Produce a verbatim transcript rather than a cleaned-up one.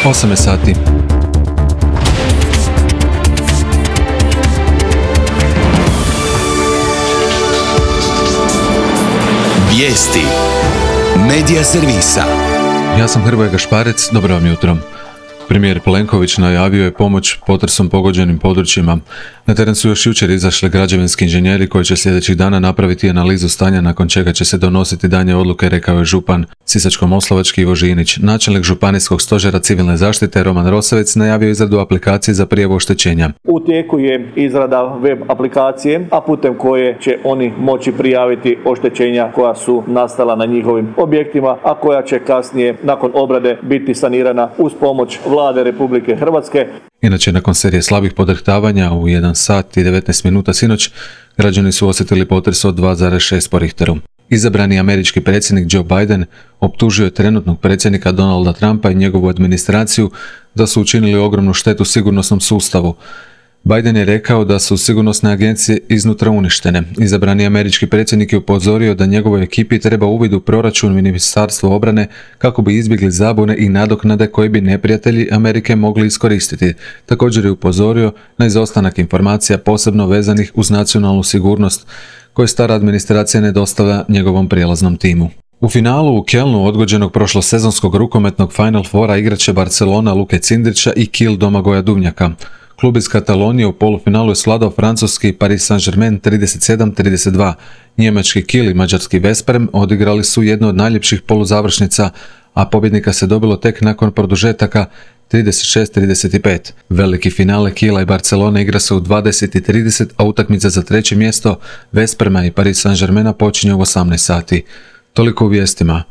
osam je sati. Vijesti Medija servisa. Ja sam Hrvoje Gašparec, dobro vam jutro. Premijer Plenković najavio je pomoć potresom pogođenim područjima. Na teren su još jučer izašli građevinski inženjeri koji će sljedećih dana napraviti analizu stanja, nakon čega će se donositi daljnje odluke, rekao je župan Sisačko-moslavački Ivo Žinić. Načelnik županijskog stožera civilne zaštite Roman Rosavec najavio izradu aplikacije za prijavu oštećenja. U tijeku je izrada web aplikacije, a putem koje će oni moći prijaviti oštećenja koja su nastala na njihovim objektima, a koja će kasnije nakon obrade biti sanirana uz pomoć Vlade Republike Hrvatske. Inače, nakon serije slabih podrhtavanja u jedan sat i devetnaest minuta sinoć, građani su osjetili potres od dva zarez šest po Richteru. Izabrani američki predsjednik Joe Biden optužio je trenutnog predsjednika Donalda Trumpa i njegovu administraciju da su učinili ogromnu štetu sigurnosnom sustavu. Biden je rekao da su sigurnosne agencije iznutra uništene. Izabrani američki predsjednik je upozorio da njegovoj ekipi treba uvid u proračun Ministarstva obrane kako bi izbjegli zabune i nadoknade koje bi neprijatelji Amerike mogli iskoristiti. Također je upozorio na izostanak informacija posebno vezanih uz nacionalnu sigurnost koje stara administracija ne dostavlja njegovom prijelaznom timu. U finalu u Kelnu odgođenog prošlosezonskog rukometnog Final Fora igraće Barcelona Luke Cindrića i Kiel Domagoja Duvnjaka. Klub iz Katalonije u polufinalu je svladao francuski Paris Saint-Germain trideset sedam trideset dva. Njemački Kiel i mađarski Vesprem odigrali su jednu od najljepših poluzavršnica, a pobjednika se dobilo tek nakon produžetaka trideset šest trideset pet. Veliki finale Kiela i Barcelone igra se u dvadeset i trideset, a utakmica za treće mjesto Vesprema i Paris Saint-Germaina počinje u osamnaest sati. Toliko u vijestima.